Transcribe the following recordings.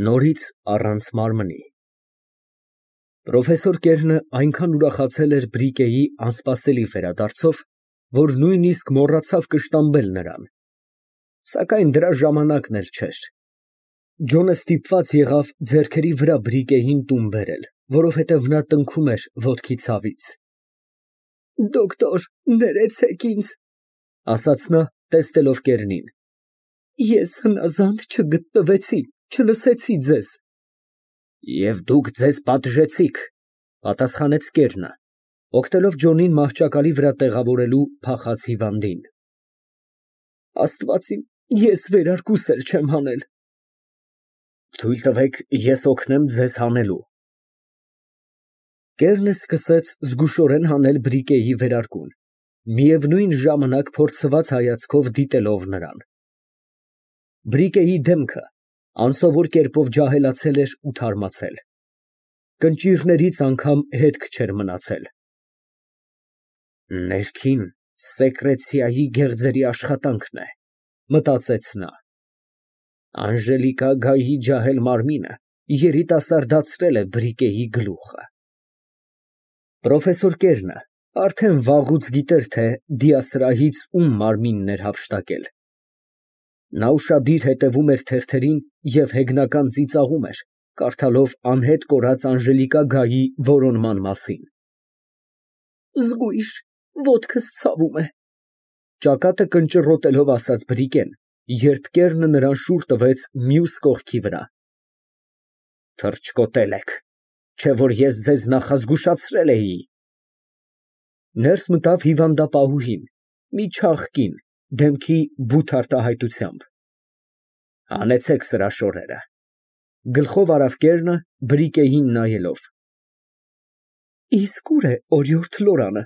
Նորից առանց մարմնի։ Պրոֆեսոր Կերնը այնքան ուրախացել էր Բրիկեի անսպասելի վերադարձով, որ նույնիսկ մոռացավ կշտամբել նրան, սակայն դրա ժամանակն էլ չէր։ Ջոնը ստիպված եղավ ձեռքերի վրա Բրիկեին տուն բերել, որովհետև նա տնքում էր ոտքի ցավից։ «Դոկտոր, ներեցեք ինձ», ասաց նա, տեսնելով Կերնին։ «Ես հնազանդ չգտնվեցի, չլսեցի ձեզ»։ «Եվ դուք ձեզ պատժեցիք», պատասխանեց Կերնը, օգնելով Ջոնին մահճակալի վրա տեղավորելու փախած հիվանդին։ «Աստված իմ, ես վերարկուս էլ չեմ հանել»։ «Թույլ տվեք, ես օգնեմ ձեզ հանելու»։ Կերնը սկսեց զգուշորեն հանել Բրիկեի վերարկուն, միևնույն ժամանակ փորձված հայացքով դիտելով նրան։ Բրիկեի դեմքը անսովոր կերպով ջահելացել էր ու թարմացել, կնճիռներից անգամ հետք չէր մնացել։ «Ներքին սեկրեցիայի գեղձերի աշխատանքն է», մտածեց նա։ Անժելիկա ջահել մարմինը երիտասարդացրել է Բրիկեի գլուխը։ Պրոֆեսոր Կերնը արդեն վաղուց գիտեր, թե դիասրահից ում մարմինն էր հափշտակել։ Նա ուշադիր հետևում էր թերթերին և հեգնական ծիծաղում էր, կարդալով անհետ կորած Անժելիկայի որոնման մասին։ «Զգույշ, ոտքս ցավում է», ճակատը կնճռոտելով ասաց Բրիկեն, երբ Կերնը նրան շուռ տվեց մյուս կողքի վրա։ «Թռչկոտել եք, չէ՞ որ ես ձեզ նախազգուշացրել էի»։ Ներս մտավ հիվանդապահուհին, մի չաղ կին, դեմքի բութ արտահայտությամբ։ «Հանեցեք սրա շորերը», գլխով արավ Կերնը, Բրիկեին նայելով։ «Իսկ ուր է օրիորդ Լորանը»,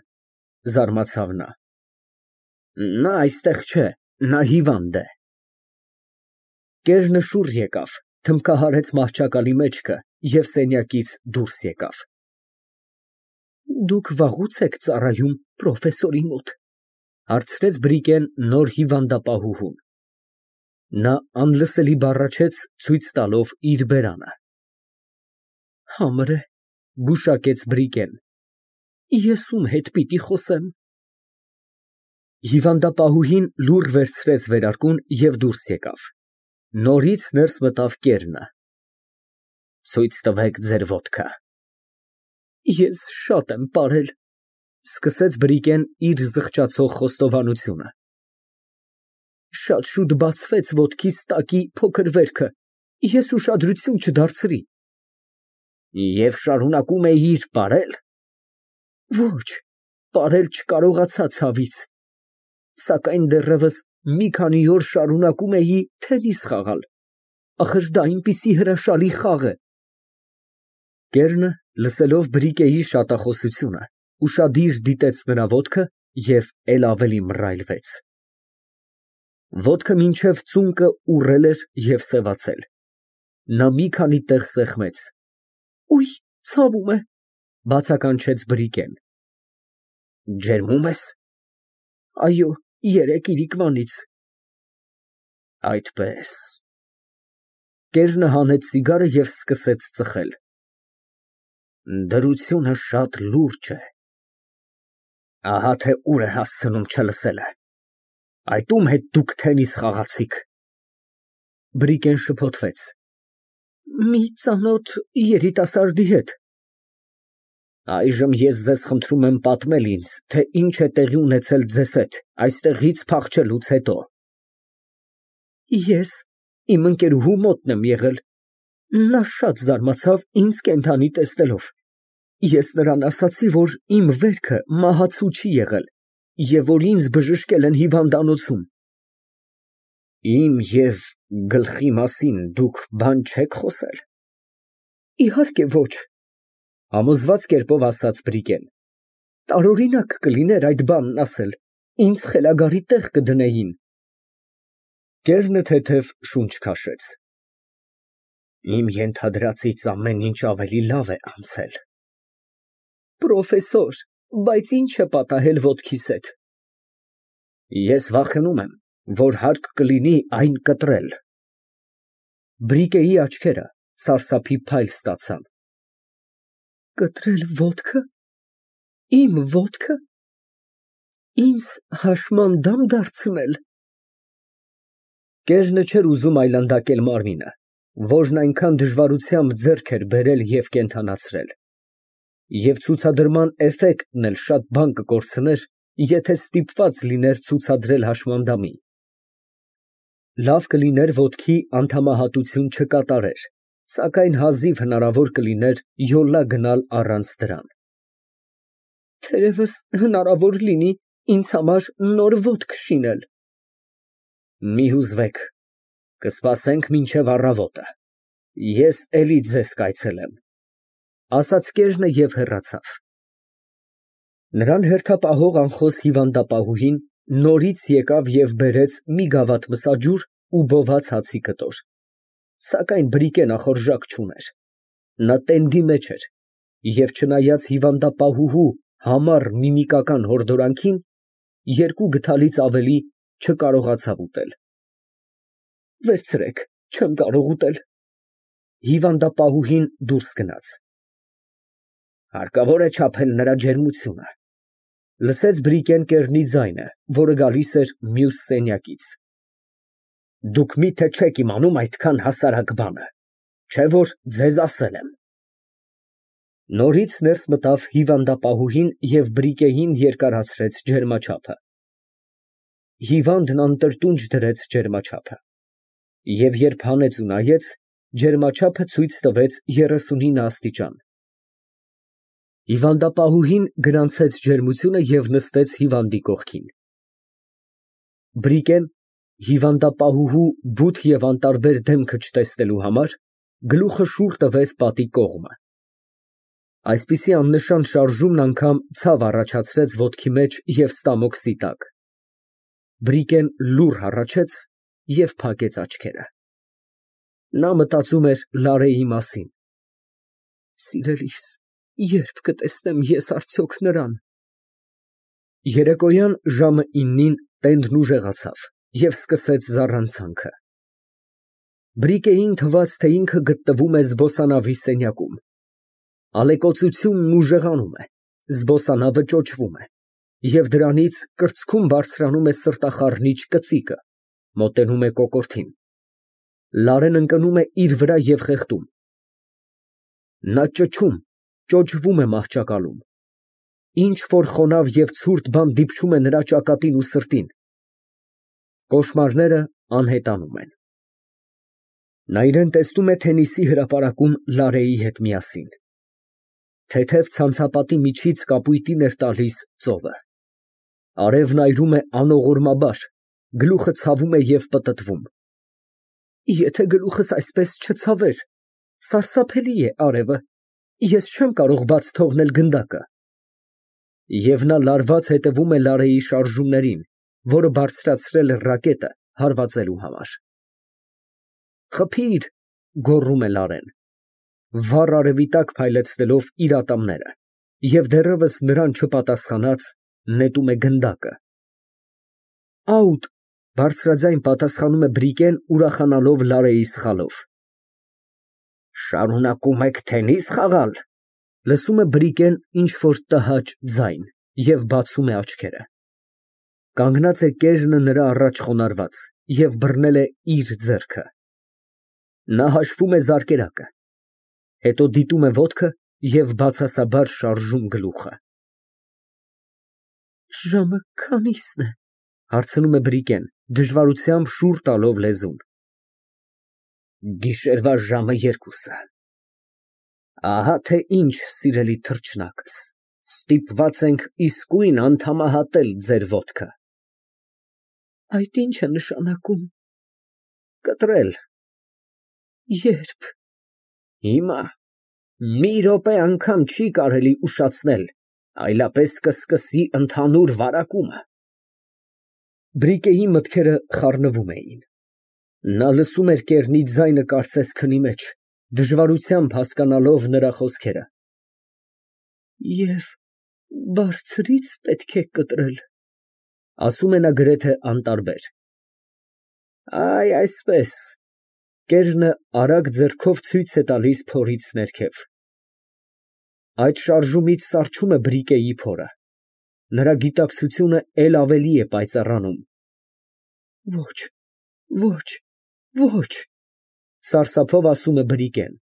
զարմացավ նա։ «Նա այստեղ չէ, նա հիվանդ է»։ Կերնը շուռ եկավ, թմբկահարեց մահճակալի մեջքը և սենյակից դուրս եկավ։ «Դուք վաղուց եք ծառայում պրոֆեսորի մոտ», հարցրեց Բրիկեն նոր հիվանդապահուհուն։ Նա անլսելի բառաչեց, ցույց տալով իր բերանը։ «Համր է», գուշակեց Բրիկեն։ «Ես ում հետ պիտի խոսեմ»։ Հիվանդապահուհին լուռ վերցրեց վերարկուն և դուրս եկավ։ Նորից ներս մտավ Կերնը։ «Ցույց տվեք ձեր ոտքը»։ «Ես շատ եմ պարել», սկսեց Բրիկեն իր զղջացող խոստովանությունը։ «Շատ շուտ բացվեց ոտքիս տակի փոքր վերքը, ես ուշադրություն չդարձրի»։ «Եվ շարունակում էիր պարել»։ «Ոչ, պարել չկարողացա ցավից, սակայն դեռևս մի քանի օր շարունակում էի թենիս խաղալ, ախր դա այնպիսի հրաշալի խաղ է»։ Կերնը, լսելով Բրիկեի շատախոսությունը, ուշադիր դիտեց նրա ոտքը և էլ ավելի մռայլվեց։ Ոտքը մինչև ծունկը ուռել էր և սևացել։ Նա մի քանի տեղ սեղմեց։ «Ուй, ցավում է», բացականչեց Բրիկեն։ «Ջերմում ես»։ «Այո, երեկ իրիկվանից»։ «Այդպես»։ Կերնը հանեց սիգարը և սկսեց ծխել։ «Դրությունը շատ լուրջ է։ Ահա թե ուր է հասցնում չլսելը։ Այդ ում հետ դուք թենիս խաղացիք»։ Բրիկեն շփոթվեց։ «Մի ծանոթ երիտասարդի հետ»։ «Այժմ ես ձեզ խնդրում եմ պատմել ինձ, թե ինչ է տեղի ունեցել ձեզ հետ այստեղից փախչելուց հետո»։ «Ես իմ ընկերուհու մոտն եմ եղել, նա շատ զարմացավ ինձ կենդանի տեսնելով։ Ես նրան ասացի, որ իմ վերքը մահացու չի եղել և որ ինձ բժշկել են հիվանդանոցում»։ «Իմ և գլխի մասին դուք բան չեք խոսել»։ «Իհարկե ոչ», համոզված կերպով ասաց Բրիկեն։ «Տարօրինակ կլիներ այդ բանն ասել, ինձ խելագարի տեղ կդնեին»։ Կերնը թեթև շունչ քաշեց։ «Իմ ենթադրածից ամեն ինչ ավելի լավ է անցել»։ «Պրոֆեսոր, բայց ի՞նչ է պատահել ոտքիս հետ»։ «Ես վախենում եմ, որ հարկ կլինի այն կտրել»։ Բրիկեի աչքերը Սարսափի փայլ ստացան։ Կտրել ոտքը, իմ ոտքը, ինձ հաշմանդամ դարձնել։ Կերնը չէր ուզում այլանդակել մարմինը, որն այնքան դժվարությամբ ձեռք էր բերել և կենդանացրել։ Եվ ցուցադրման էֆեկտն էլ շատ բան կկորցներ, եթե ստիպված լիներ ցուցադրել հաշմանդամի։ Լավ կլիներ ոտքի անդամահատություն չկատարեր, սակայն հազիվ հնարավոր կլիներ յոլա գնալ առանց դրան։ Թերևս հնարավոր լինի ինձ համար նոր ոտք շինել։ Մի հուզվեք, կսպասենք մինչև առավոտը, ես էլի ձեզ կայցելեմ, ասաց կերնը և հեռացավ։ Նրան հերթապահող անխոս հիվանդապահուհին նորից եկավ և բերեց մի գավաթ մսաջուր ու բոված հացի կտոր, սակայն Բրիկեն ախորժակ չուներ։ Նա տենդի մեջ էր և չնայած հիվանդապահուհու համառ միմիկական հորդորանքին, երկու գդալից ավելի չկարողացավ ուտել։ Վերցրեք, չեմ կարող ուտել։ Հիվանդապահուհին դուրս գնաց։ Հարկավոր է չափել նրա ջերմությունը, լսեց Բրիկեն կեռնի ձայնը, որը գալիս էր մյուս սենյակից։ Դուք մի՞թե չեք իմանում այդքան հասարակ բանը, չէ՞ որ ձեզ ասել եմ։ Նորից ներս մտավ հիվանդապահուհին և Բրիկեին երկարացրեց ջերմաչափը։ Հիվանդն անտրտունջ դրեց ջերմաչափը, և երբ հանեց ու նայեց, ջերմաչափը ցույց տվեց 39 աստիճան։ Հիվանդապահուհին գրանցեց ջերմությունը և նստեց հիվանդի կողքին։ Բրիկեն, հիվանդապահուհու բութ և անտարբեր դեմքը չտեսնելու համար, գլուխը շուռ տվեց պատի կողմը։ Այսպիսի աննշան շարժումն անգամ ցավ առաջացրեց ոտքի մեջ և ստամոքսի տակ։ Բրիկեն լուռ հառաչեց և փակեց աչքերը։ Նա մտածում էր Լարեի մասին. Սիրելիս, ե՞րբ կտեսնեմ ես արդյոք նրան։ Երեկոյան ժամը 9-ին տենդն ուժեղացավ և սկսեց զառանցանքը։ Բրիկեին թվաց, թե ինքը գտնվում է զբոսանավի սենյակում։ Ալեկոծությունն ուժեղանում է, զբոսանավը ճոճվում է, և դրանից կրծքում բարձրանում է սրտախառնիչ կծիկը, մոտենում է կոկորդին։ Լարեն ընկնում է իր վրա և խեղդում։ Նա ճչում, ճոճվում է մահճակալում։ Ինչ֊որ խոնավ և ցուրտ բան դիպչում է նրա ճակատին ու սրտին։ Կոշմարները անհետանում են։ Նա իրան տեսնում է Թենիսի հրապարակում Լարեի հետ միասին։ Թեթև ցանցապատի միջից կապույտին էր տալիս ծովը։ Արևն այրում է անողորմաբար, գլուխը ցավում է և պտտվում։ Եթե գլուխս այսպես չցավեր, սարսափելի է արևը, ես չեմ կարող բաց թողնել գնդակը։ Եվ նա լարված հետևում է Լարեի շարժումներին, որը բարձրացրել է ռակետը հարվածելու համար։ Խփի՛ր, գոռում է Լարեն, վառ արևի տակ փայլեցնելով իր ատամները, և դեռևս նրան չպատասխանած, նետում է գնդակը։ Աուտ, բարձրաձայն պատասխանում է Բրիկեն, ուրախանալով Լարեի սխալով։ Շարունակում եք թենիս խաղալ, լսում է Բրիկեն ինչ֊որ տհաճ ձայն և բացում է աչքերը։ Կանգնած է կերնը նրա առաջ խոնարհված և բռնել է իր ձեռքը։ Նա հաշվում է զարկերակը, հետո դիտում է ոտքը և բացասաբար շարժում գլուխը։ Ժամը քանի՞սն է, հարցնում է Բրիկեն, դժվարությամբ շուռ տալով լեզուն։ Գիշերվա ժամը 2-ը։ Ահա թե ինչ, սիրելի թռչնակս, ստիպված ենք իսկույն անդամահատել ձեր ոտքը։ Այդ ի՞նչ է նշանակում։ Կտրել։ Ե՞րբ։ Հիմա, մի րոպե անգամ չի կարելի ուշացնել, այլապես կսկսի ընդհանուր վարակումը։ Բրիկեի մտքերը խառնվում էին։ Նա լսում էր կեռնի ձայնը կարծես քնի մեջ, դժվարությամբ հասկանալով նրա խոսքերը։ Եվ բարձրի՞ց պետք է կտրել, ասում է նա գրեթե անտարբեր։ Այ այսպես, Կերնը արագ ձեռքով ցույց է տալիս փորից ներքև։ Այդ շարժումից սառչում է բրիկեի փորը։ Նրա գիտակցությունը էլ ավելի է պայծառանում։ Ոչ, ոչ, ոչ, սարսափով ասում է բրիկեն։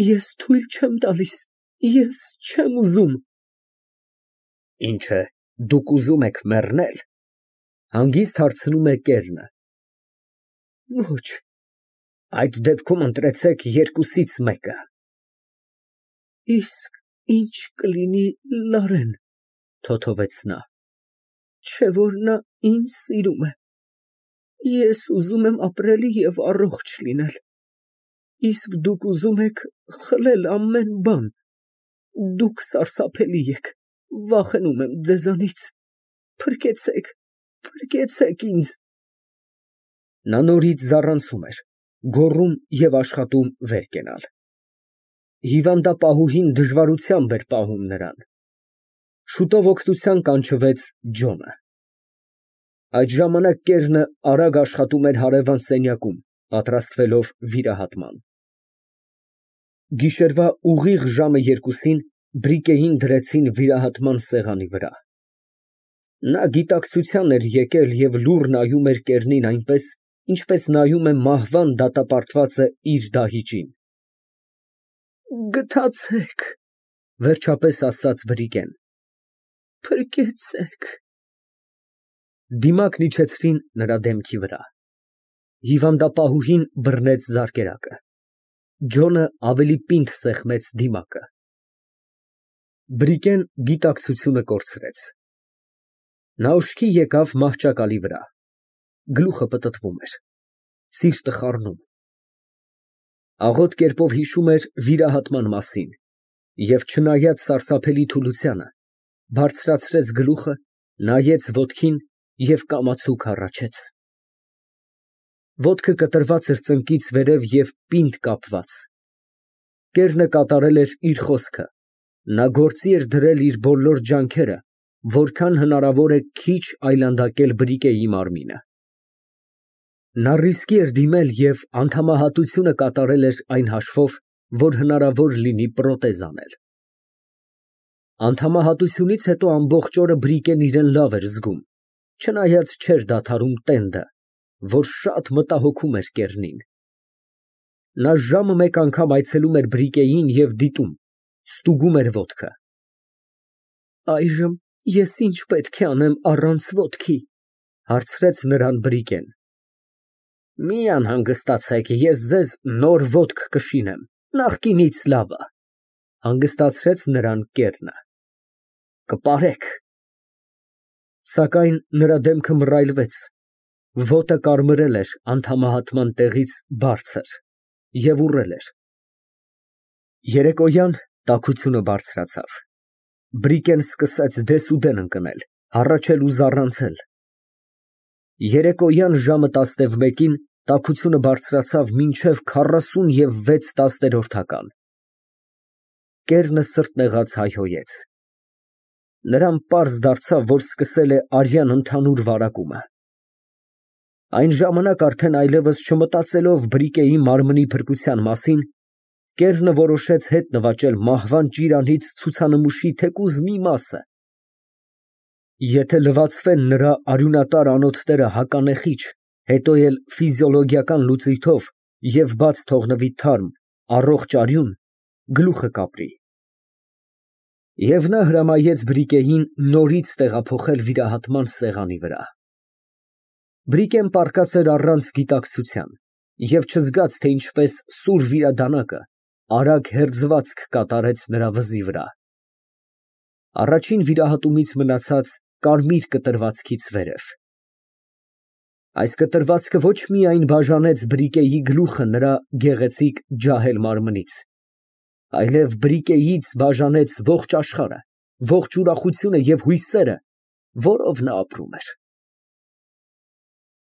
Ես թույլ չեմ տալիս, ես չեմ ուզում։ Ինչ է, դուք ուզում եք մեռնել։ Հանգիստ հարցնում է կերնը։ Ոչ։ Այդ դեպքում ընտրեցեք երկուսից մեկը։ Իսկ ինչ կլինի Լարեն, թոթովեց նա։ Չէ որ նա ինձ սիրում է։ Ես ուզում եմ ապրել և առողջ լինել։ Իսկ դուք ուզում եք խլել ամեն բան։ Դուք սարսափելի եք, վախենում եմ ձեզանից։ Փրկեցեք, փրկեցեք ինձ։ Նա նորից զառանցում էր, գոռում և աշխատում վեր կենալ։ Հիվանդապահուհին դժվարությամբ էր պահում նրան։ Շուտով օգնության կանչվեց Ջոնը։ Այդ ժամանակ կերնը արագ աշխատում էր հարևան սենյակում, պատրաստվելով վիրահատման։ Գիշերվա ուղիղ ժամը 2-ին բրիկեին դրեցին վիրահատման սեղանի վրա։ Նա գիտակցության էր եկել և լուռ նայում էր կերնին այնպես, ինչպես նայում է մահվան դատապարտվածը իր դահիճին։ Գթացեք, վերջապես ասաց բրիկեն։ Փրկեցեք։ Դիմակն իջեցրին նրա դեմքի վրա։ Հիվանդապահուհին բռնեց զարկերակը։ Ջոնը ավելի պինդ սեղմեց դիմակը։ Բրիկեն գիտակցությունը կորցրեց։ Նա ուշքի եկավ մահճակալի վրա։ Գլուխը պտտվում էր, սիրտը խառնում։ Աղոտ կերպով հիշում էր վիրահատման մասին և, չնայած սարսափելի թուլությանը, բարձրացրեց գլուխը, նայեց ոտքին և կամացուկ հառաչեց։ Ոտքը կտրված էր ծնկից վերև և պինդ կապված։ Կերնը կատարել էր իր խոսքը, նա գործի էր դրել իր բոլոր ջանքերը, որքան հնարավոր է քիչ այլանդակել բրիկեի մարմինը։ Նա ռիսկի էր դիմել և անդամահատությունը կատարել էր այն հաշվով, որ հնարավոր լինի պրոթեզ անել։ Անդամահատությունից հետո ամբողջ օրը Բրիկեն իրեն լավ էր զգում, չնայած չէր դադարում տենդը, որ շատ մտահոգում էր կերնին։ Նա ժամը մեկ անգամ այցելում էր Բրիկեին և դիտում, ստուգում էր ոտքը։ Այժմ ես ինչ պետք է անեմ առանց ոտքի, հարցրեց նրան Բրիկեն։ Մի անհանգստացեք, ես ձեզ նոր ոտք կշինեմ, նախկինից լավը, հանգստացրեց նրան կերնը։ Կպարեք։ Սակայն նրա դեմքը մռայլվեց, ոտը կարմրել էր անդամահատման տեղից բարձր և ուռել էր։ Երեկոյան տաքությունը բարձրացավ։ Բրիկեն սկսեց դեսուդեն ընկնել, հառաչել ու զառանցել։ Երեկոյան ժամը 11-ին տաքությունը բարձրացավ մինչև 46 տասներորդական։ Կերնը սրտնեղած հայհոյեց։ Նրան պարզ դարձավ, որ սկսել է արյան ընդհանուր վարակումը։ Այն ժամանակ արդեն այլևս չմտածելով Բրիկեի մարմնի փրկության մասին, Կերնը որոշեց հետ նվաճել մահվան ճիրանից ցուցանմուշի թեկուզ մի մասը։ Եթե լվացվեն նրա արյունատար անոթները հականեխիչ, հետո էլ ֆիզիոլոգիական լուծույթով և բաց թողնվի թարմ, առողջ արյուն, գլուխը կապրի։ Եվ նա հրամայեց Բրիկեին նորից տեղափոխել վիրահատման սեղանի վրա։ Բրիկեն պառկած էր առանց գիտակցության և չզգաց, թե ինչպես սուր վիրադանակը արագ հերձվածք կատարեց նրա վզի վրա։ Առաջին վիրահատումից մնացած կարմիր կտրվածքից վերև։ Այս կտրվածքը ոչ միայն բաժանեց Բրիկեի գլուխը նրա գեղեցիկ ջահել մարմնից, այլև Բրիկեից բաժանեց ողջ աշխարհը, ողջ ուրախությունը և հույսերը, որով նա ապրում էր։